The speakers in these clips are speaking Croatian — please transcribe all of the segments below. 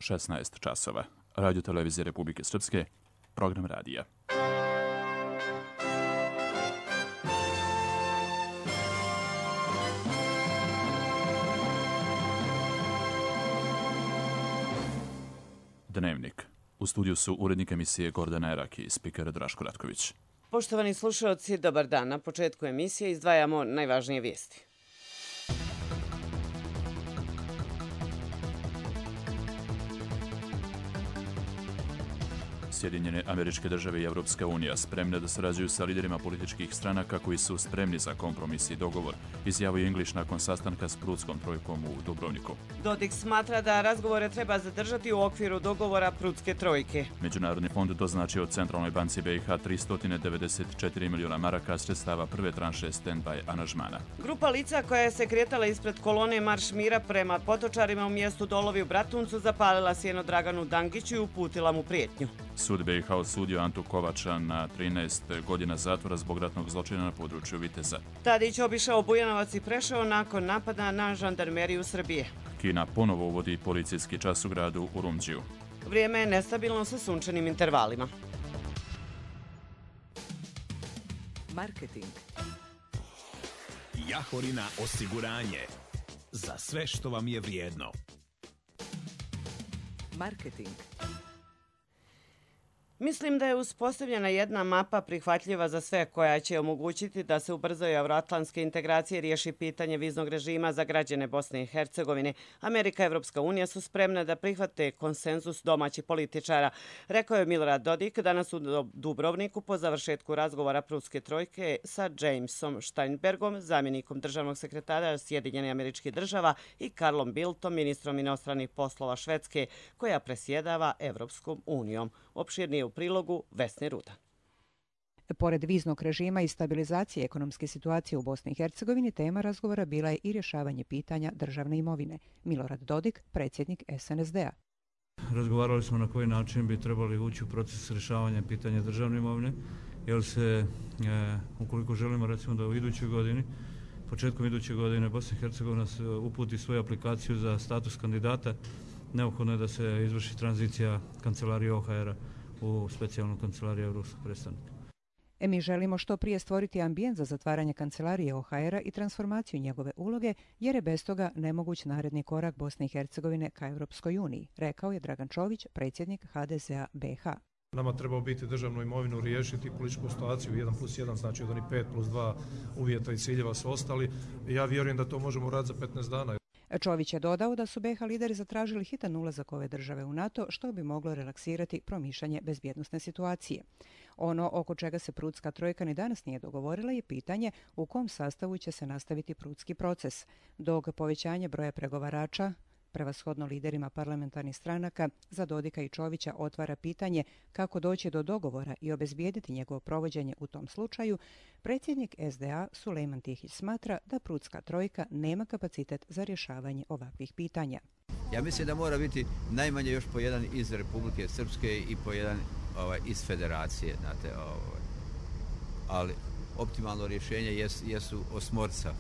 16 časova. Radio Televizije Republike Srpske, program radija. Dnevnik. U studiju su urednik emisije Gordana Eraki i spiker Draško Ratković. Poštovani slušalci, dobar dan. Na početku emisije izdvajamo najvažnije vijesti. Sjedinjene Američke Države i Evropska unija spremne da sarađuju sa liderima političkih stranaka koji su spremni za kompromis i dogovor, izjavio English nakon sastanka s Prutskom trojkom u Dubrovniku. Dodik smatra da razgovore treba zadržati u okviru dogovora Prutske trojke. Međunarodni fond doznačio Centralnoj banci BiH 394 miliona maraka sredstava prve tranše stand-by aranžmana. Grupa lica koja se kretala ispred kolone Marš mira prema Potočarima u mjestu Dolovi u Bratuncu zapalila sjeno Draganu Dangiću i uputila mu prijetnju. Sud BiH osudio Antu Kovača na 13 godina zatvora zbog ratnog zločina na području Viteza. Tadić obišao Bujanovac i Preševo nakon napada na žandarmeriju Srbije. Kina ponovo uvodi policijski čas u gradu Urumđiju. Vrijeme je nestabilno sa sunčanim intervalima. Marketing. Jahorina osiguranje. Za sve što vam je vrijedno. Marketing. Mislim da je uspostavljena jedna mapa prihvatljiva za sve koja će omogućiti da se ubrzaju euroatlantske integracije i riješi pitanje viznog režima za građane Bosne i Hercegovine. Amerika i Evropska unija su spremne da prihvate konsenzus domaćih političara, rekao je Milorad Dodik danas u Dubrovniku po završetku razgovora Prutske trojke sa Jamesom Steinbergom, zamjenikom državnog sekretara Sjedinjenih Američkih Država, i Karlom Bildtom, ministrom inostranih poslova Švedske, koja presjedava Evropskom unijom. Opširnije u prilogu Vesne Ruda. Pored viznog režima i stabilizacije ekonomske situacije u Bosni i Hercegovini, tema razgovora bila je i rješavanje pitanja državne imovine. Milorad Dodik, predsjednik SNSD-a. Razgovarali smo na koji način bi trebali ući u proces rješavanja pitanja državne imovine, jer se, ukoliko želimo recimo da u idućoj godini, početkom iduće godine Bosna i Hercegovina uputi svoju aplikaciju za status kandidata, neophodno je da se izvrši tranzicija kancelarije OHR-a u specijalnu kancelariju Evropskog predstavnika. Mi želimo što prije stvoriti ambijent za zatvaranje kancelarije OHR-a i transformaciju njegove uloge, jer je bez toga nemoguć naredni korak Bosne i Hercegovine ka Europskoj uniji, rekao je Dragan Čović, predsjednik HDZ-a BiH. Nama treba biti državnu imovinu riješiti, političku situaciju 1+1, znači od onih 5+2 uvjeta i ciljeva su ostali. Ja vjerujem da to možemo raditi za 15 dana. Čović je dodao da su BiH lideri zatražili hitan ulazak ove države u NATO, što bi moglo relaksirati promišljanje bezbjednosne situacije. Ono oko čega se Prutska trojka ni danas nije dogovorila je pitanje u kom sastavu će se nastaviti prutski proces, dok povećanje broja pregovarača, prevashodno liderima parlamentarnih stranaka, za Dodika i Čovića otvara pitanje kako doći do dogovora i obezbijediti njegovo provođenje u tom slučaju. Predsjednik SDA Sulejman Tihić smatra da Prutska trojka nema kapacitet za rješavanje ovakvih pitanja. Ja mislim da mora biti najmanje još po jedan iz Republike Srpske i po jedan iz federacije, znate, ali optimalno rješenje jesu osmorca,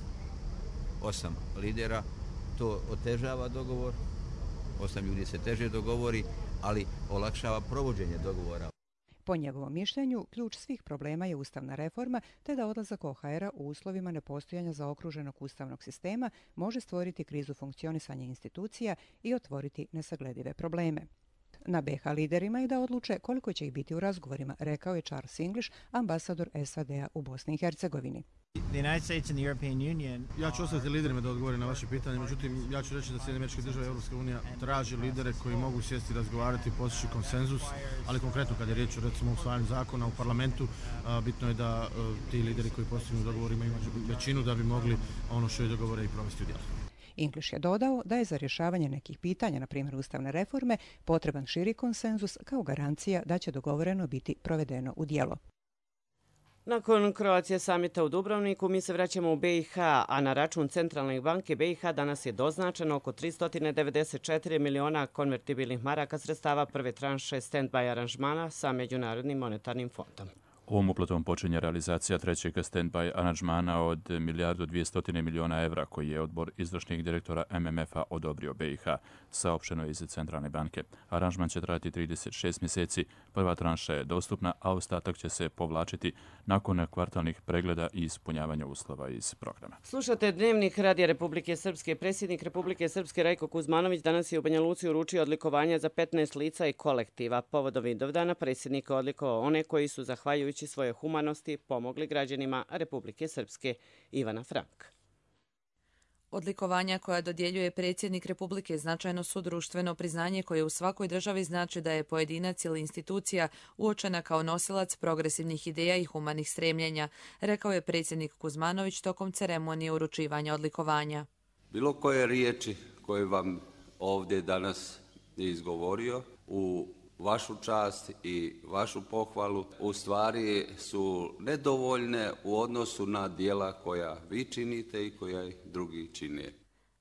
8 lidera. To otežava dogovor, 8 ljudi se teže dogovori, ali olakšava provođenje dogovora. Po njegovom mišljenju, ključ svih problema je ustavna reforma, te da odlazak OHR-a u uslovima nepostojanja zaokruženog ustavnog sistema može stvoriti krizu funkcionisanja institucija i otvoriti nesagledive probleme. Na BiH liderima je da odluče koliko će ih biti u razgovorima, rekao je Charles English, ambasador SAD-a u Bosni i Hercegovini. Ja ću ostati liderima da odgovorim na vaše pitanje, međutim ja ću reći da Sjedinjene Američke Države i Europska unija traži lidere koji mogu sjesti, razgovarati, postići konsenzus, ali konkretno kad je riječ o recimo usvajanju zakona u parlamentu, bitno je da ti lideri koji postignu dogovor imaju većinu da bi mogli ono što je dogovore i provesti u djelo. English je dodao da je za rješavanje nekih pitanja, na primjer ustavne reforme, potreban širi konsenzus kao garancija da će dogovoreno biti provedeno u djelo. Nakon Kroacije samita u Dubrovniku, mi se vraćamo u BiH, a na račun Centralne banke BiH danas je doznačeno oko 394 miliona konvertibilnih maraka sredstava prve tranše stand-by aranžmana sa Međunarodnim monetarnim fondom. Ovom uplatom počinje realizacija trećeg stand-by aranžmana od 1.200 miliona evra koji je odbor izvršnih direktora MMF-a odobrio BiH, saopšteno iz Centralne banke. Aranžman će trajati 36 mjeseci, prva tranša je dostupna, a ostatak će se povlačiti nakon kvartalnih pregleda i ispunjavanja uslova iz programa. Slušate Dnevnik Radija Republike Srpske. Predsjednik Republike Srpske Rajko Kuzmanović danas je u Banja Luci uručio odlikovanja za 15 lica i kolektiva. Povodom Vidovdana predsjednik odlikovao one koji su, zahvaljujući svoje humanosti, pomogli građanima Republike Srpske. Ivana Frank. Odlikovanja koja dodjeljuje predsjednik Republike značajno su društveno priznanje koje u svakoj državi znači da je pojedinac ili institucija uočena kao nosilac progresivnih ideja i humanih stremljenja, rekao je predsjednik Kuzmanović tokom ceremonije uručivanja odlikovanja. Bilo koje riječi koje vam ovdje danas izgovorio u vašu čast i vašu pohvalu u stvari su nedovoljne u odnosu na djela koja vi činite i koja drugi čine.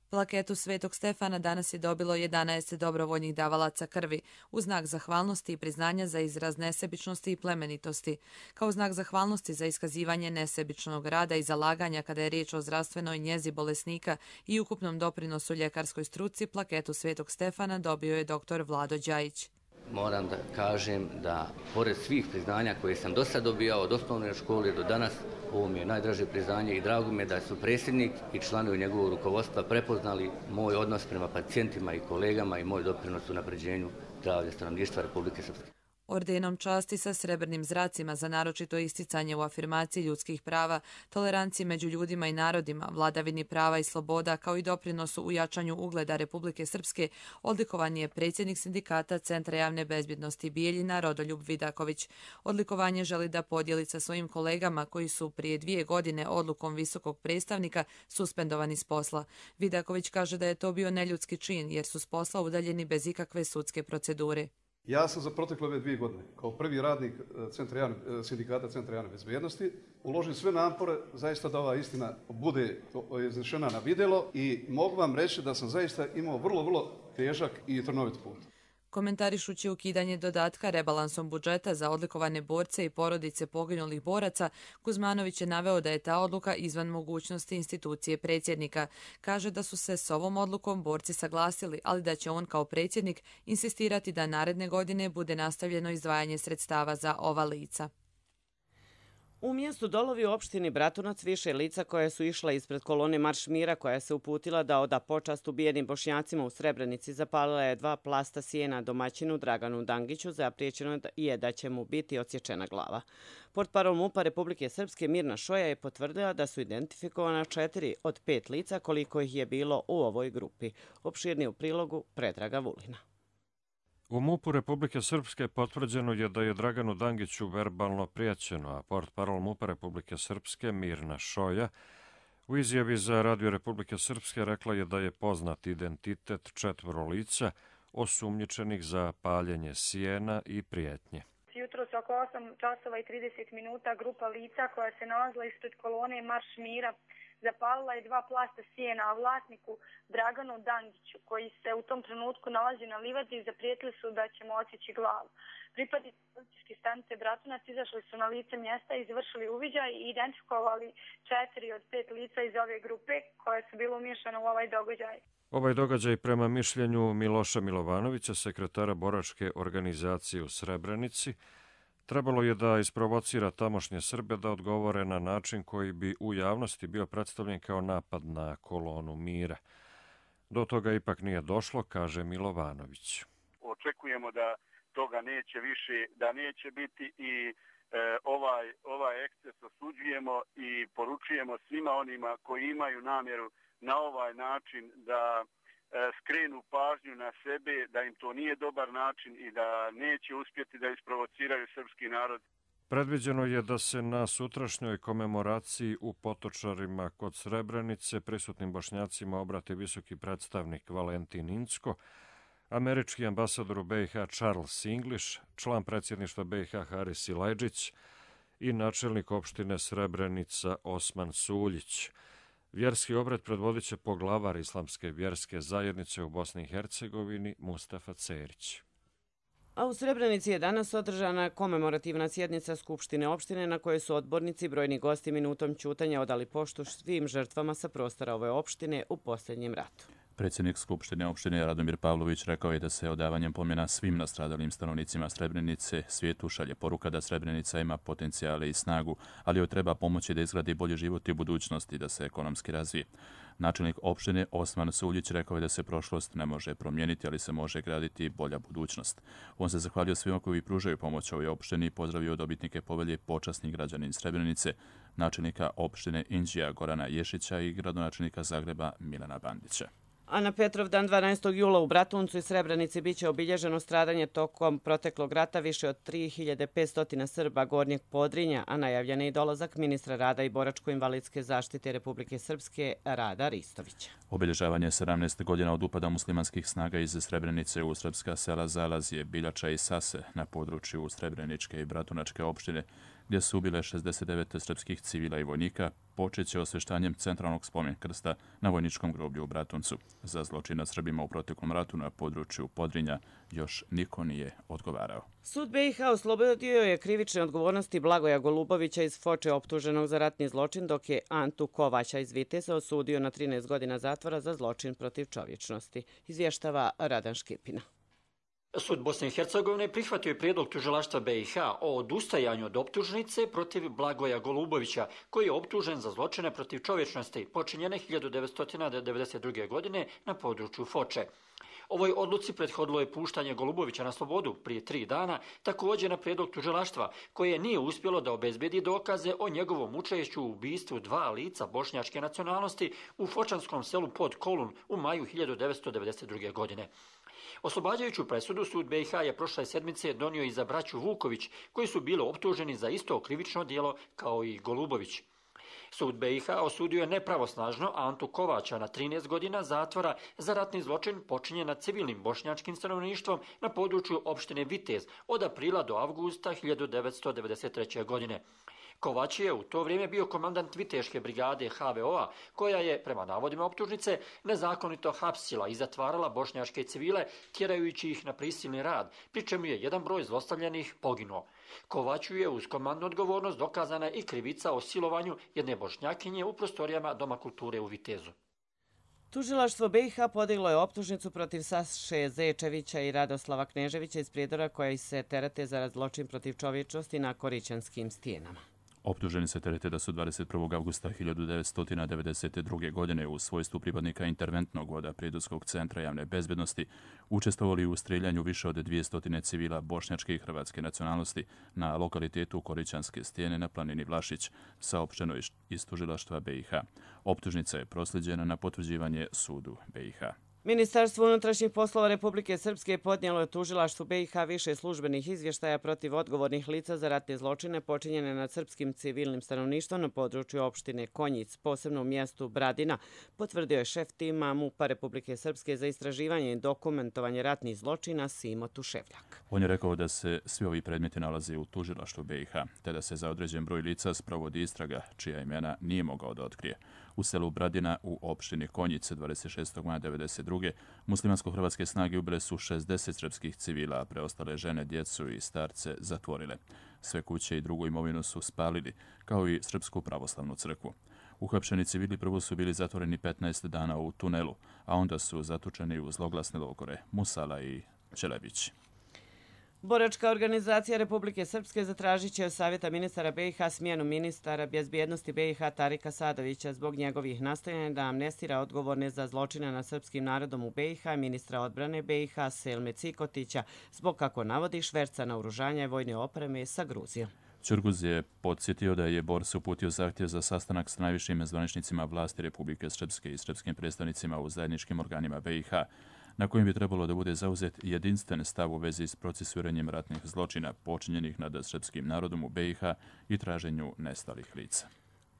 Plaketu Svetog Stefana danas je dobilo 11 dobrovoljnih davalaca krvi, u znak zahvalnosti i priznanja za izraz nesebičnosti i plemenitosti. Kao znak zahvalnosti za iskazivanje nesebičnog rada i zalaganja kada je riječ o zdravstvenoj njezi bolesnika i ukupnom doprinosu ljekarskoj struci, plaketu Svetog Stefana dobio je dr. Vlado Đajić. Moram da kažem da, pored svih priznanja koje sam do sad dobijao od osnovne škole do danas, ovo mi je najdraže priznanje i drago mi je da su predsjednik i članovi njegovog rukovodstva prepoznali moj odnos prema pacijentima i kolegama i moj doprinos u unapređenju zdravlja stanovništva Republike Srpske. Ordenom časti sa srebrnim zracima za naročito isticanje u afirmaciji ljudskih prava, toleranciji među ljudima i narodima, vladavini prava i sloboda, kao i doprinosu u jačanju ugleda Republike Srpske, odlikovan je predsjednik sindikata Centra javne bezbjednosti Bijeljina Rodoljub Vidaković. Odlikovanje želi da podijeli sa svojim kolegama koji su prije 2 godine odlukom visokog predstavnika suspendovani s posla. Vidaković kaže da je to bio neljudski čin jer su s posla udaljeni bez ikakve sudske procedure. Ja sam za protekle ove 2 godine, kao prvi radnik sindikata Centra javne bezbjednosti, uložio sve napore zaista da ova istina bude iznešena na vidjelo i mogu vam reći da sam zaista imao vrlo težak i trnovit put. Komentarišući ukidanje dodatka rebalansom budžeta za odlikovane borce i porodice poginulih boraca, Kuzmanović je naveo da je ta odluka izvan mogućnosti institucije predsjednika. Kaže da su se s ovom odlukom borci saglasili, ali da će on kao predsjednik insistirati da naredne godine bude nastavljeno izdvajanje sredstava za ova lica. U mjestu Dolovi u opštini Bratunac više lica koje su išla ispred kolone Marš mira koja se uputila da oda počast ubijenim Bošnjacima u Srebrenici zapalila je 2 plasta sjena domaćinu Draganu Dangiću, zapriječeno je da će mu biti odsječena glava. Portparol MUP-a Republike Srpske Mirna Šoja je potvrdila da su identifikovana 4 od 5 lica koliko ih je bilo u ovoj grupi. Opširnije u prilogu Predraga Vulina. U MUP-u Republike Srpske potvrđeno je da je Draganu Dangiću verbalno prijećeno, a portparol MUP-a Republike Srpske Mirna Šoja u izjavi za Radio Republike Srpske rekla je da je poznat identitet 4 lica osumnjičenih za paljenje sjena i prijetnje. Jutros oko 8 časova i 30 minuta grupa lica koja se nalazila ispred kolone Marš mira zapalila je 2 plasta sjena, a vlasniku Draganu Dangiću, koji se u tom trenutku nalazi na livadi, zaprijetili su da će mu odsjeći glavu. Pripadnici policijske stanice Bratunac izašli su na lice mjesta, izvršili uviđaj i identifikovali 4 od 5 lica iz ove grupe koja su bila umiješana u ovaj događaj. Ovaj događaj prema mišljenju Miloša Milovanovića, sekretara boračke organizacije u Srebrenici, trebalo je da isprovocira tamošnje Srbe da odgovore na način koji bi u javnosti bio predstavljen kao napad na kolonu mira. Do toga ipak nije došlo, kaže Milovanović. Očekujemo da toga neće više, da neće biti i ovaj eksces osuđujemo i poručujemo svima onima koji imaju namjeru na ovaj način da skrenu pažnju na sebe, da im to nije dobar način i da neće uspjeti da isprovociraju srpski narod. Predviđeno je da se na sutrašnjoj komemoraciji u Potočarima kod Srebrenice prisutnim Bošnjacima obrati visoki predstavnik Valentin Incko, američki ambasador u BiH Charles English, član predsjedništva BiH Haris Silajdžić i načelnik opštine Srebrenica Osman Suljić. Vjerski obred predvodit će poglavar Islamske vjerske zajednice u Bosni i Hercegovini Mustafa Cerić. A u Srebrenici je danas održana komemorativna sjednica Skupštine opštine na kojoj su odbornici i brojni gosti minutom ćutanja odali poštu svim žrtvama sa prostora ove opštine u posljednjem ratu. Predsjednik Skupštine opštine Radomir Pavlović rekao je da se odavanjem pomena svim nastradalim stanovnicima Srebrenice svijetu šalje poruka da Srebrenica ima potencijale i snagu, ali joj treba pomoći da izgradi bolji život i budućnost i da se ekonomski razvije. Načelnik opštine Osman Suljić rekao je da se prošlost ne može promijeniti, ali se može graditi bolja budućnost. On se zahvalio svima koji pružaju pomoć ovoj opštini i pozdravio dobitnike povelje počasni građanin Srebrenice, načelnika opštine Inđija Gorana Ješića i gradonačelnika Zagreba Milana Bandića. A na Petrovdan 12. jula u Bratuncu i Srebrenici biće obilježeno stradanje tokom proteklog rata više od 3500 Srba Gornjeg Podrinja, a najavljen je i dolazak ministra rada i boračko-invalidske zaštite Republike Srpske Rada Ristovića. Obilježavanje 17 godina od upada muslimanskih snaga iz Srebrenice u srpska sela Zalazije, Biljača i Sase na području Srebreničke i Bratunačke opštine, gdje su ubile 69 srpskih civila i vojnika, počeće osveštanjem centralnog spomen krsta na vojničkom groblju u Bratuncu. Za zločin nad Srbima u proteklom ratu na području Podrinja još niko nije odgovarao. Sud BiH oslobodio je krivične odgovornosti Blagoja Golubovića iz Foče optuženog za ratni zločin, dok je Antu Kovaća iz Viteza osudio na 13 godina zatvora za zločin protiv čovječnosti. Izvještava Radan Škipina. Sud Bosne i Hercegovine prihvatio je prijedlog tužilaštva BiH o odustajanju od optužnice protiv Blagoja Golubovića, koji je optužen za zločine protiv čovječnosti počinjene 1992. godine na području Foče. Ovoj odluci prethodilo je puštanje Golubovića na slobodu prije 3 dana, također na prijedlog tužilaštva, koje nije uspjelo da obezbedi dokaze o njegovom učešću u ubistvu 2 lica bošnjačke nacionalnosti u fočanskom selu Pod Kolun u maju 1992. godine. Oslobađajuću presudu sud BiH je prošle sedmice donio i za braću Vuković, koji su bili optuženi za isto krivično djelo kao i Golubović. Sud BiH osudio je nepravosnažno Antu Kovaća na 13 godina zatvora za ratni zločin počinjen nad civilnim bošnjačkim stanovništvom na području opštine Vitez od aprila do avgusta 1993. godine. Kovać je u to vrijeme bio komandant Viteške brigade HVO-a, koja je, prema navodima optužnice, nezakonito hapsila i zatvarala bošnjačke civile, tjerajući ih na prisilni rad, pri čemu je jedan broj zlostavljanih poginuo. Kovaću je uz komandnu odgovornost dokazana i krivica o silovanju jedne bošnjakinje u prostorijama Doma kulture u Vitezu. Tužilaštvo BiH podiglo je optužnicu protiv Saše Zečevića i Radoslava Kneževića iz Prijedora, koji se terete za zločin protiv čovječnosti na Korićanskim stijenama. Optuženi se terete da su 21. avgusta 1992. godine u svojstvu pripadnika interventnog voda Prijedorskog centra javne bezbednosti učestvovali u streljanju više od 200 civila bošnjačke i hrvatske nacionalnosti na lokalitetu Korićanske stijene na planini Vlašić, saopšteno iz tužilaštva BiH. Optužnica je proslijeđena na potvrđivanje sudu BiH. Ministarstvo unutrašnjih poslova Republike Srpske podnijelo je tužilaštvu BiH više službenih izvještaja protiv odgovornih lica za ratne zločine počinjene nad srpskim civilnim stanovništvom na području opštine Konjic, posebno u mjestu Bradina, potvrdio je šef tima MUP-a Republike Srpske za istraživanje i dokumentovanje ratnih zločina Simo Tuševljak. On je rekao da se svi ovi predmeti nalaze u tužilaštvu BiH, te da se za određen broj lica sprovodi istraga, čija imena nije mogao da otkrije. U selu Bradina u opštini Konjice 26. maja 1992. muslimansko-hrvatske snage ubile su 60 srpskih civila, a preostale žene, djecu i starce zatvorile. Sve kuće i drugu imovinu su spalili, kao i Srpsku pravoslavnu crkvu. Uhapšeni civili prvo su bili zatvoreni 15 dana u tunelu, a onda su zatučeni u zloglasne logore Musala i Čelebić. Boračka organizacija Republike Srpske zatražit će od Savjeta ministara BiH smjenu ministara bezbjednosti BiH Tarika Sadovića zbog njegovih nastojanja da amnestira odgovorne za zločine nad srpskim narodom u BiH, ministra odbrane BiH Selme Cikotića, zbog, kako navodi, šverca naoružanja i vojne opreme sa Gruzijom. Ćurguz je podsjetio da je Bors uputio zahtjev za sastanak s najvišim zvaničnicima vlasti Republike Srpske i srpskim predstavnicima u zajedničkim organima BiH, na kojem bi trebalo da bude zauzet jedinstven stav u vezi s procesuiranjem ratnih zločina počinjenih nad srpskim narodom u BiH i traženju nestalih lica.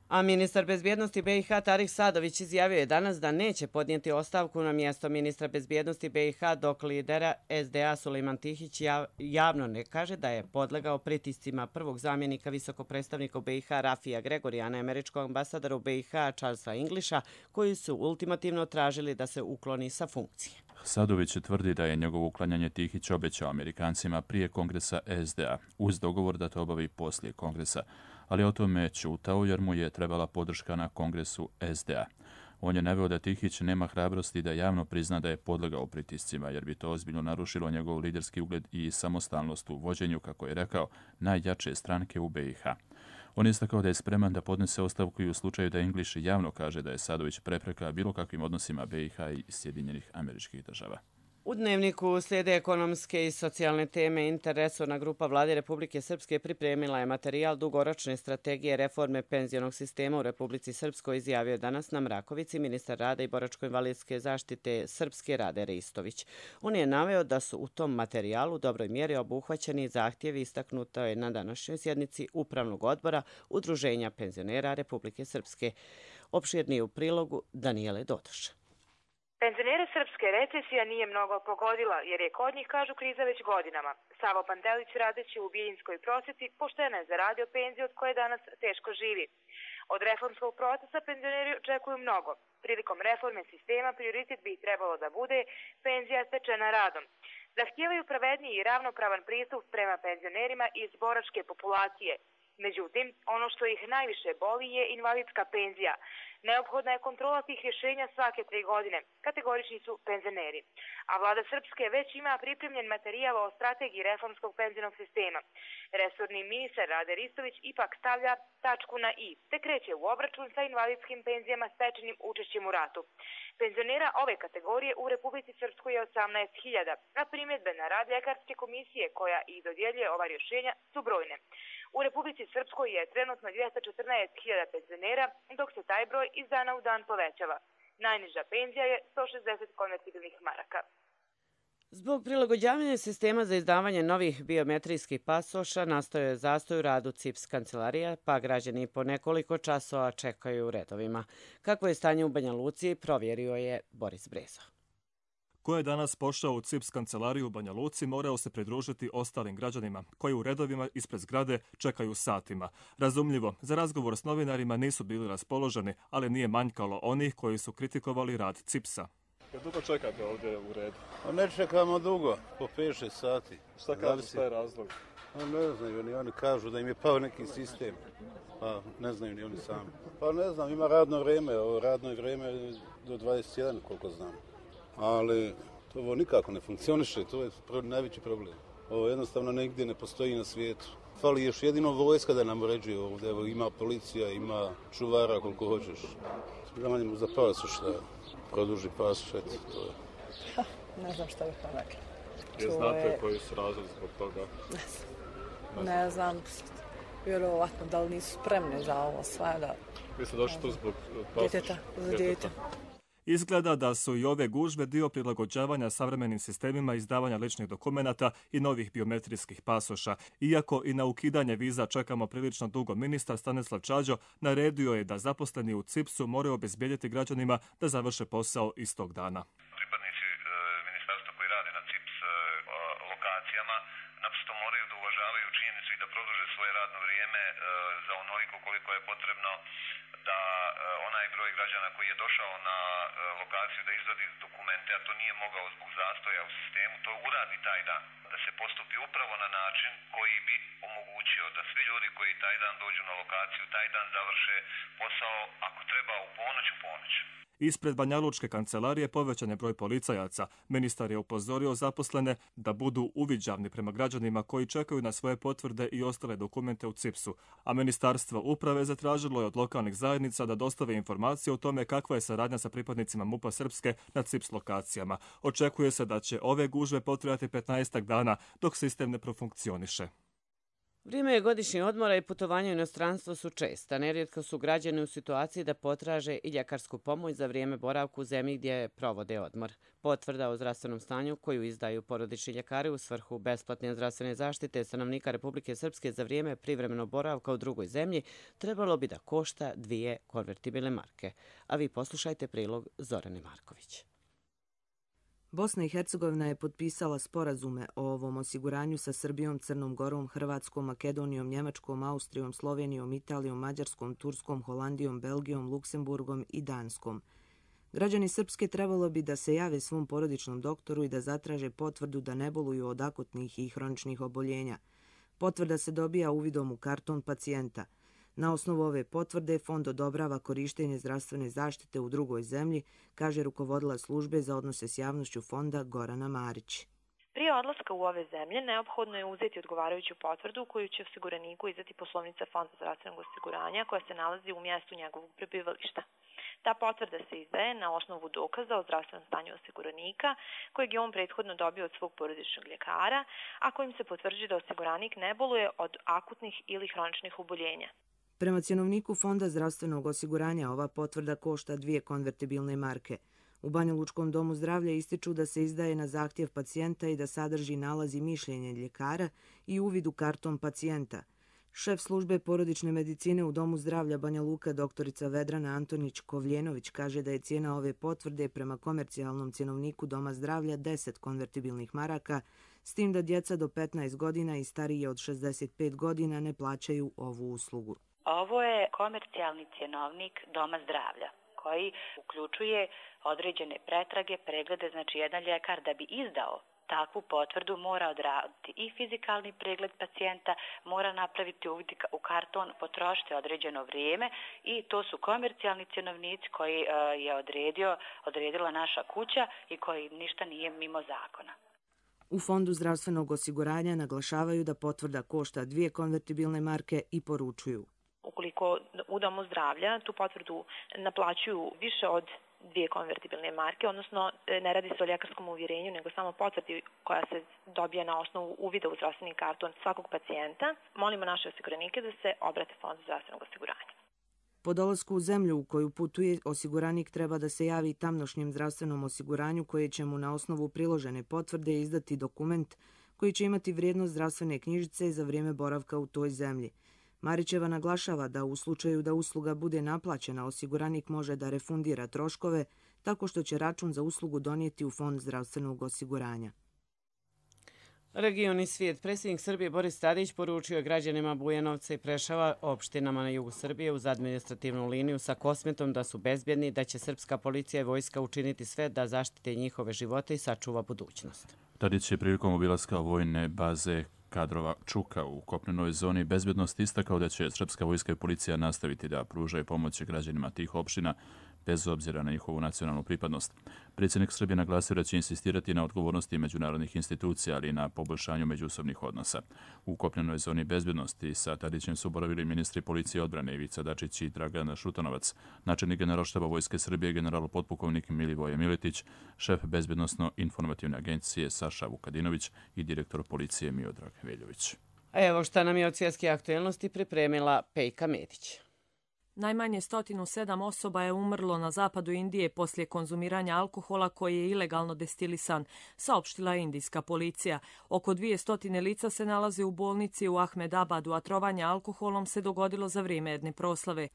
A ministar bezbjednosti BiH Tarik Sadović izjavio je danas da neće podnijeti ostavku na mjesto ministra bezbjednosti BiH dok lidera SDA Sulejman Tihić javno ne kaže da je podlegao pritiscima prvog zamjenika visokog predstavnika u BiH Rafija Gregorijana i američkog ambasadora u BiH Charlesa Englisha, koji su ultimativno tražili da se ukloni sa funkcije. Sadović tvrdi da je njegovo uklanjanje Tihić obećao Amerikancima prije kongresa SDA, uz dogovor da to obavi poslije kongresa, ali o tome ćutao jer mu je trebala podrška na kongresu SDA. On je naveo da Tihić nema hrabrosti da javno prizna da je podlegao pritiscima, jer bi to ozbiljno narušilo njegov liderski ugled i samostalnost u vođenju, kako je rekao, najjače stranke u BiH. On je istakao da je spreman da podnese ostavku i u slučaju da English javno kaže da je Sadović prepreka bilo kakvim odnosima BiH i Sjedinjenih Američkih Država. U Dnevniku slijede ekonomske i socijalne teme. Interresorna grupa Vlade Republike Srpske pripremila je materijal dugoročne strategije reforme penzionog sistema u Republici Srpskoj, izjavio je danas na Mrakovici ministar rada i boračko-invalidske zaštite Srpske Rade Ristović. On je naveo da su u tom materijalu u dobroj mjeri obuhvaćeni zahtjevi, istaknuto je na današnjoj sjednici Upravnog odbora Udruženja penzionera Republike Srpske. Opširnije u prilogu Danijele Dodoša. Penzionere srpske recesija nije mnogo pogodila, jer je kod njih, kažu, kriza već godinama. Savo Pantelić, radeći u Bijeljinskoj prosvjeti, pošteno je zaradio penziju od koje danas teško živi. Od reformskog procesa penzioneri očekuju mnogo. Prilikom reforme sistema prioritet bi trebalo da bude penzija stečena radom. Zahtijevaju pravedniji i ravnopravan pristup prema penzionerima iz boračke populacije. Međutim, ono što ih najviše boli je invalidska penzija. Neophodna je kontrola tih rješenja svake 3 godine. Kategorični su penzioneri. A vlada Srpske već ima pripremljen materijal o strategiji reformskog penzionog sistema. Resorni ministar Rade Ristović ipak stavlja tačku na i, te kreće u obračun sa invalidskim penzijama stečenim učešćem u ratu. Penzionera ove kategorije u Republici Srpskoj je 18.000, a primjedbe na rad ljekarske komisije koja i dodjeljuje ova rješenja su brojne. U Republici Srpskoj je trenutno 214.000 penzionera, dok se taj broj iz dana u dan povećava. Najniža penzija je 160 konvertibilnih maraka. Zbog prilagođavanja sistema za izdavanje novih biometrijskih pasoša nastao je zastoj u radu CIPS kancelarija, pa građani po nekoliko časova čekaju u redovima. Kako je stanje u Banja Luci, provjerio je Boris Brezo. Ko je danas pošao u CIPS kancelariju u Banja Luci, morao se pridružiti ostalim građanima, koji u redovima ispred zgrade čekaju satima. Razumljivo, za razgovor s novinarima nisu bili raspoloženi, ali nije manjkalo onih koji su kritikovali rad CIPS-a. Dugo čekate ovdje u redu? Ne čekamo dugo, po 5-6 sati. Šta kažu, šta je razlog? Ne znaju, oni kažu da im je pao neki sistem, pa ne znaju ni oni sami. Pa ne znam, ima radno vrijeme, ovo radno vrijeme do 21, koliko znam. Ali ovo nikako ne funkcioniše, to je najveći problem. Ovo jednostavno negdje ne postoji na svijetu. Fali još jedino vojska da nam uređuje ovdje, evo ima policija, ima čuvara koliko hoćeš. Zamanjimo za pasoš, da produži pasoš, eto, to je. Ne znam šta bih vam rekla. Znate koji su razlozi zbog toga? Ne znam, vjerovatno da li nisu spremni za ovo sve. Da... Vi ste došli tu zbog pasoša? Za djete. Izgleda da su i ove gužve dio prilagođavanja savremenim sistemima izdavanja ličnih dokumenata i novih biometrijskih pasoša. Iako i na ukidanje viza čekamo prilično dugo, ministar Stanislav Čađo naredio je da zaposleni u CIPS-u moraju obezbijediti građanima da završe posao istog dana. Pripadnici ministarstva koji rade na CIPS lokacijama naprosto moraju da uvažavaju činjenicu i da produže svoje radno vrijeme za onoliko koliko je potrebno da onaj broj građana koji je došao na lokaciju da izvadi dokumente, a to nije mogao zbog zastoja u sistemu, to uradi taj dan. Da se postupi upravo na način koji bi omogućio da svi ljudi koji taj dan dođu na lokaciju, taj dan završe posao, ako treba u ponoć. Ispred Banjalučke kancelarije povećan je broj policajaca. Ministar je upozorio zaposlene da budu uviđavni prema građanima koji čekaju na svoje potvrde i ostale dokumente u CIPS-u, a Ministarstvo uprave zatražilo je od lokalnih zajednica da dostave informacije o tome kakva je saradnja sa pripadnicima MUP-a Srpske na CIPS lokacijama. Očekuje se da će ove gužve potrajati 15 dana dok sistem ne profunkcioniše. Vrijeme godišnjih odmora i putovanja u inostranstvo su česta. Nerijetko su građani u situaciji da potraže i ljekarsku pomoć za vrijeme boravka u zemlji gdje provode odmor. Potvrda o zdravstvenom stanju koju izdaju porodični ljekari u svrhu besplatne zdravstvene zaštite stanovnika Republike Srpske za vrijeme privremenog boravka u drugoj zemlji trebalo bi da košta 2 konvertibilne marke. A vi poslušajte prilog Zorane Marković. Bosna i Hercegovina je potpisala sporazume o ovom osiguranju sa Srbijom, Crnom Gorom, Hrvatskom, Makedonijom, Njemačkom, Austrijom, Slovenijom, Italijom, Mađarskom, Turskom, Holandijom, Belgijom, Luksemburgom i Danskom. Građani Srpske trebalo bi da se jave svom porodičnom doktoru i da zatraže potvrdu da ne boluju od akutnih i hroničnih oboljenja. Potvrda se dobija uvidom u karton pacijenta. Na osnovu ove potvrde Fond odobrava korištenje zdravstvene zaštite u drugoj zemlji, kaže rukovodila službe za odnose s javnošću fonda Gorana Marić. Prije odlaska u ove zemlje neophodno je uzeti odgovarajuću potvrdu koju će osiguraniku izdati poslovnica Fonda zdravstvenog osiguranja koja se nalazi u mjestu njegovog prebivališta. Ta potvrda se izdaje na osnovu dokaza o zdravstvenom stanju osiguranika kojeg je on prethodno dobio od svog porodičnog ljekara, a kojim se potvrđuje da osiguranik ne boluje od akutnih ili hroničnih oboljenja. Prema cjenovniku Fonda zdravstvenog osiguranja ova potvrda košta 2 konvertibilne marke. U Banja Lučkom domu zdravlja ističu da se izdaje na zahtjev pacijenta i da sadrži nalaz i mišljenje ljekara i uvid u karton pacijenta. Šef službe porodične medicine u Domu zdravlja Banja Luka doktorica Vedrana Antonić-Kovljenović kaže da je cijena ove potvrde prema komercijalnom cjenovniku Doma zdravlja 10 konvertibilnih maraka, s tim da djeca do 15 godina i starije od 65 godina ne plaćaju ovu uslugu. Ovo je komercijalni cjenovnik Doma zdravlja koji uključuje određene pretrage, preglede, znači jedan ljekar da bi izdao takvu potvrdu mora odraditi i fizikalni pregled pacijenta, mora napraviti uvid u karton, potrošiti određeno vrijeme i to su komercijalni cjenovnici koji je odredila naša kuća i koji ništa nije mimo zakona. U Fondu zdravstvenog osiguranja naglašavaju da potvrda košta 2 konvertibilne marke i poručuju. Ukoliko u Domu zdravlja tu potvrdu naplaćuju više od 2 konvertibilne marke, odnosno ne radi se o ljekarskom uvjerenju, nego samo potvrdi koja se dobija na osnovu uvida u zdravstveni karton svakog pacijenta, molimo naše osiguranike da se obrate Fondu zdravstvenog osiguranja. Po dolasku u zemlju u koju putuje, osiguranik treba da se javi tamnošnjem zdravstvenom osiguranju koje će mu na osnovu priložene potvrde izdati dokument koji će imati vrijednost zdravstvene knjižice za vrijeme boravka u toj zemlji. Marićeva naglašava da u slučaju da usluga bude naplaćena, osiguranik može da refundira troškove tako što će račun za uslugu donijeti u Fond zdravstvenog osiguranja. Region i svijet. Predsjednik Srbije Boris Tadić poručio građanima Bujanovca i Preševa, opštinama na jugu Srbije uz administrativnu liniju sa Kosmetom da su bezbjedni, da će srpska policija i vojska učiniti sve da zaštite njihove živote i sačuva budućnost. Tadić je prilikom obilaska vojne baze kadrova Čuka u kopnenoj zoni bezbjednosti istakao da će srpska vojska i policija nastaviti da pružaju pomoć građanima tih opština bez obzira na njihovu nacionalnu pripadnost. Predsjednik Srbije naglasio da će insistirati na odgovornosti međunarodnih institucija, ali i na poboljšanju međusobnih odnosa. U kopnenoj zoni bezbjednosti sa Tadićem su boravili ministri policije odbrane Ivica Dačić i Dragan Šutanovac, načelnik generalštaba Vojske Srbije general potpukovnik Milivoje Miletić, šef bezbjednosno-informativne agencije Saša Vukadinović i direktor policije Miodrag Veljović. A evo šta nam je od svjetske aktuelnosti pripremila Pejka Medić. Najmanje 107 osoba je umrlo na zapadu Indije poslije konzumiranja alkohola koji je ilegalno destilisan, saopštila je indijska policija. Oko 200 lica se nalaze u bolnici u Ahmedabadu, a trovanje alkoholom se dogodilo za vrijeme jedne proslave.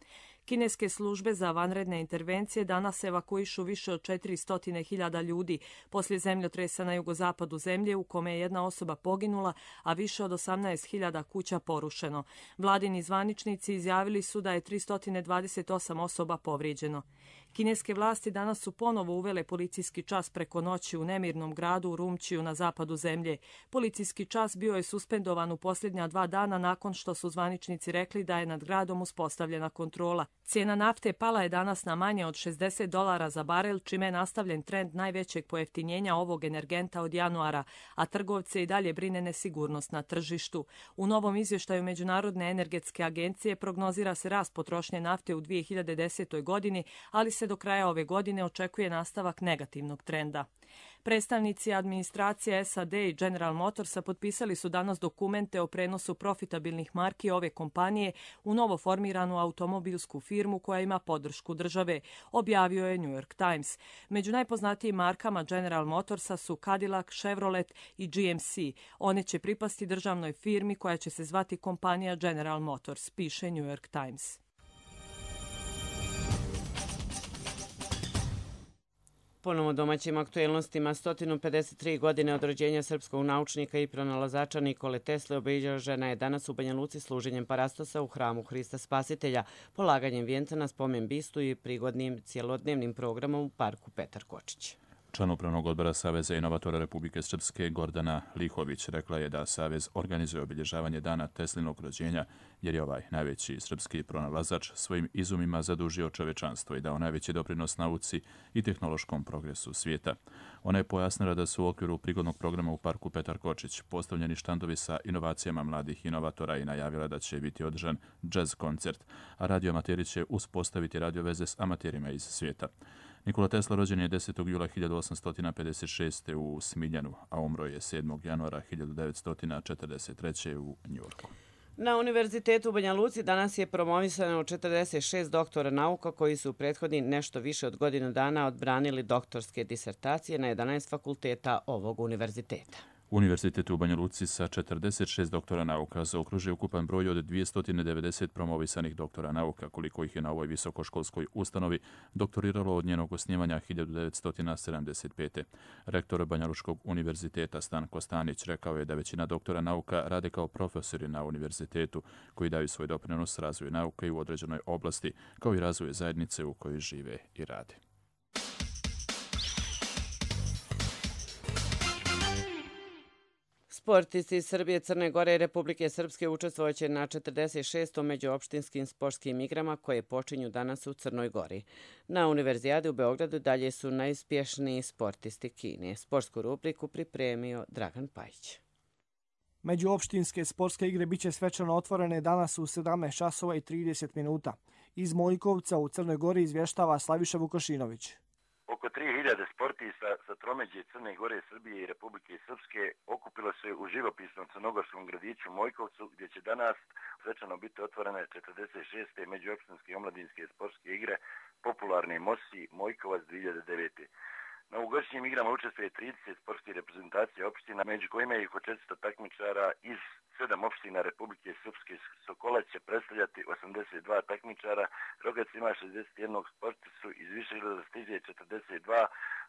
Kineske službe za vanredne intervencije danas evakuišu više od 400.000 ljudi poslije zemljotresa na jugozapadu zemlje u kome je jedna osoba poginula, a više od 18.000 kuća porušeno. Vladini zvaničnici izjavili su da je 328 osoba povrijeđeno. Kineske vlasti danas su ponovo uvele policijski čas preko noći u nemirnom gradu u Rumčiju na zapadu zemlje. Policijski čas bio je suspendovan u posljednja 2 dana nakon što su zvaničnici rekli da je nad gradom uspostavljena kontrola. Cijena nafte pala je danas na manje od $60 za barel, čime je nastavljen trend najvećeg pojeftinjenja ovog energenta od januara, a trgovce i dalje brine nesigurnost na tržištu. U novom izvještaju Međunarodne energetske agencije prognozira se rast potrošnje nafte u 2010. godini, ali se do kraja ove godine očekuje nastavak negativnog trenda. Predstavnici administracije SAD i General Motorsa potpisali su danas dokumente o prenosu profitabilnih marki ove kompanije u novo formiranu automobilsku firmu koja ima podršku države, objavio je New York Times. Među najpoznatijim markama General Motorsa su Cadillac, Chevrolet i GMC. One će pripasti državnoj firmi koja će se zvati kompanija General Motors, piše New York Times. Ponovo domaćim aktuelnostima, 153 godine od rođenja srpskog naučnika i pronalazača Nikole Tesle obilježena je danas u Banja Luci služenjem parastosa u hramu Hrista Spasitelja, polaganjem vijenca na spomen bistu i prigodnim cjelodnevnim programom u parku Petar Kočić. Član upravnog odbora Saveza inovatora Republike Srpske Gordana Lihović rekla je da Savez organizuje obilježavanje dana Teslinog rođenja jer je ovaj najveći srpski pronalazač svojim izumima zadužio čovečanstvo i dao najveći doprinos nauci i tehnološkom progresu svijeta. Ona je pojasnila da su u okviru prigodnog programa u parku Petar Kočić postavljeni štandovi sa inovacijama mladih inovatora i najavila da će biti održan džez koncert, a radioamateri će uspostaviti radioveze s amaterima iz svijeta. Nikola Tesla rođen je 10. jula 1856. u Smiljanu, a umro je 7. januara 1943. u Njujorku. Na Univerzitetu u Banja Luci danas je promovisano 46 doktora nauka koji su u prethodni nešto više od godinu dana odbranili doktorske disertacije na 11 fakulteta ovog univerziteta. Univerzitet u Banja Luci sa 46 doktora nauka zaokružuje ukupan broj od 290 promovisanih doktora nauka, koliko ih je na ovoj visokoškolskoj ustanovi doktoriralo od njenog osnivanja 1975. Rektor Banja Lučkog univerziteta Stanko Stanić rekao je da većina doktora nauka rade kao profesori na univerzitetu koji daju svoj doprinos razvoju nauke i u određenoj oblasti, kao i razvoju zajednice u kojoj žive i rade. Sportisti iz Srbije, Crne Gore i Republike Srpske učestvovaće na 46. međuopštinskim sportskim igrama koje počinju danas u Crnoj Gori. Na Univerzijadi u Beogradu dalje su najuspješniji sportisti Kine. Sportsku rubriku pripremio Dragan Pajić. Međuopštinske sportske igre biće svečano otvorene danas u 17 časova i 30 minuta. Iz Mojkovca u Crnoj Gori izvještava Slaviša Vukošinović. Oko 3000 sportista sa tromeđe Crne Gore, Srbije i Republike Srpske okupilo se u živopisnom crnogorskom gradiću Mojkovcu, gdje će danas svečano biti otvorene 46. međuopštinske omladinske sportske igre popularne Mosi Mojkovac 2009. Na ovogodišnjim igrama učestvuje 30 sportskih reprezentacija opština, među kojima je oko 400 takmičara iz 7 opština Republike Srpske. Sokolac će predstavljati 82 takmičara, Rogac ima 61 sportistu, iz Višegrada stiže 42,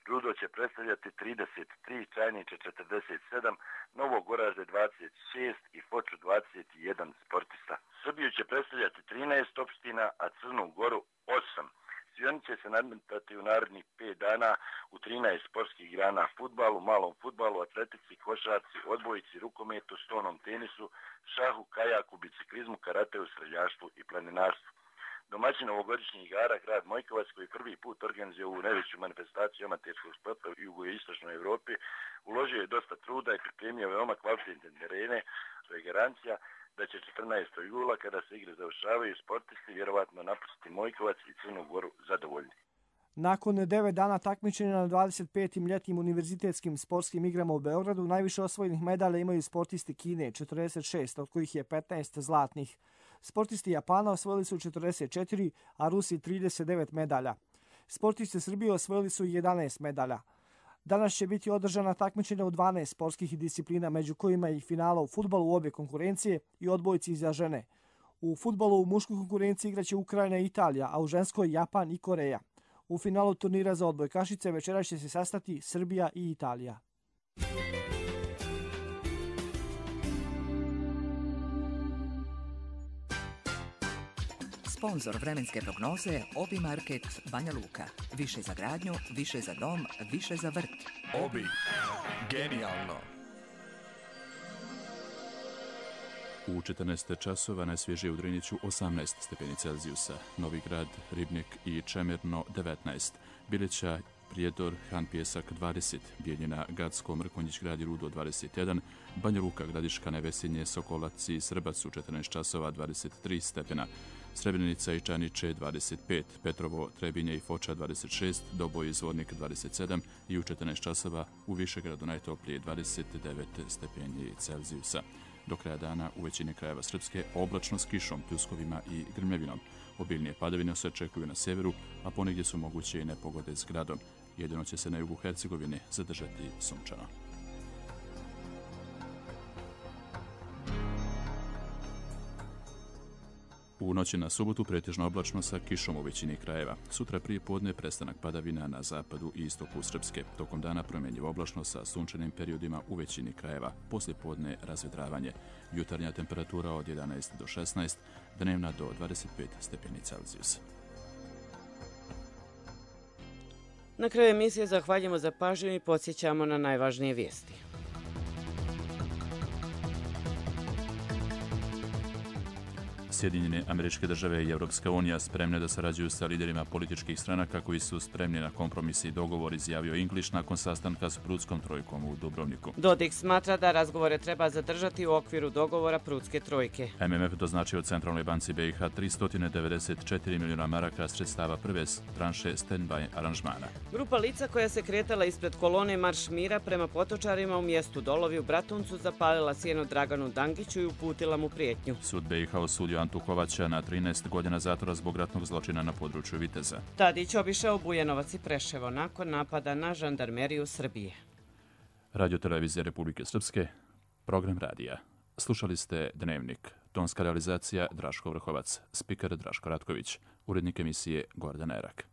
Rudo će predstavljati 33, Čajniče 47, Novog Oražde 26 i Foču 21 sportista. Srbiju će predstavljati 13 opština, a Crnu Goru 8. Svi oni će se nadmetati u narednih 5 dana u 13 sportskih grana: fudbalu, malom fudbalu, atletici, košarci, odbojici, rukometu, stonom tenisu, šahu, kajaku, biciklizmu, karateu, streljaštvu i planinarstvu. Domaćin ovogodišnjih igara, grad Mojkovac, koji prvi put organizuje ovu najveću manifestaciju amaterskog sporta u jugoistočnoj Evropi, uložio je dosta truda i pripremio veoma kvalitetne terene, što je garancija da će 14. jula, kada se igre završavaju, sportisti vjerovatno napustiti Mojkovac i Crnu Goru zadovoljni. Nakon 9 dana takmičenja na 25. ljetnim univerzitetskim sportskim igrama u Beogradu, najviše osvojenih medalja imaju sportisti Kine, 46, od kojih je 15 zlatnih. Sportisti Japana osvojili su 44, a Rusi 39 medalja. Sportisti Srbije osvojili su 11 medalja. Danas će biti održana takmičenja u 12 sportskih disciplina, među kojima i finala u fudbalu u obje konkurencije i odbojci za žene. U fudbalu u muškoj konkurenciji igraće Ukrajina i Italija, a u ženskoj Japan i Koreja. U finalu turnira za odbojkašice večeras će se sastati Srbija i Italija. Sponzor vremenske prognoze Obi Market Banja Luka. Više za gradnju, više za dom, više za vrt. Obi. Genijalno. U 14 časova najsvježije u Driniću 18 stepeni Celzijusa, Novi Grad, Ribnik i Čemerno 19, Bilića, Prijedor, Han Pjesak 20, Bijeljina, Gacko, Mrkonjić grad i Rudo 21, Banja Luka, Gradiška, Nevesinje, Sokolac i Srbac u 14 časova 23 stepena, Srebrenica i Čaniće 25, Petrovo, Trebinje i Foča 26, Doboj i Zvornik 27 i u 14 časova u Višegradu najtoplije 29 stepeni Celzijusa. Do kraja dana u većini krajeva Srpske oblačno s kišom, pljuskovima i grmljavinom. Obilnije padavine se očekuju na sjeveru, a ponegdje su moguće i nepogode s gradom. Jedino će se na jugu Hercegovine zadržati sunčano. U noći na subotu pretežno oblačno sa kišom u većini krajeva. Sutra prije podne prestanak padavina na zapadu i istoku Srpske. Tokom dana promjenjivo oblačno sa sunčanim periodima u većini krajeva. Poslije podne razvedravanje. Jutarnja temperatura od 11 do 16, dnevna do 25 stepeni Celzijusa. Na kraju emisije zahvaljujemo za pažnju i podsjećamo na najvažnije vijesti. Sjedinjene Američke Države i Europska unija spremne da sarađuju sa liderima političkih stranaka koji su spremni na kompromis i dogovor, izjavio English nakon sastanka s Prudskom trojkom u Dubrovniku. Dodik smatra da razgovore treba zadržati u okviru dogovora Prudske trojke. MMF doznačio Centralnoj banci BiH 394 milijuna maraka sredstava prve tranše stand-by aranžmana. Grupa lica koja se kretala ispred kolone Marš mira prema Potočarima u mjestu Dolovi u Bratuncu zapalila sjeno Draganu Dangiću i uputila mu prijetnju. Sud BiH osudio Antu Kovača na 13 godina zatvora zbog ratnog zločina na području Viteza. Tadić obišao Bujanovac i Preševo nakon napada na žandarmeriju Srbije. Radio-televizija Republike Srpske, program radija. Slušali ste Dnevnik. Tonska realizacija Draško Vrhovac, spiker Draško Ratković, urednik emisije Gordan Erak.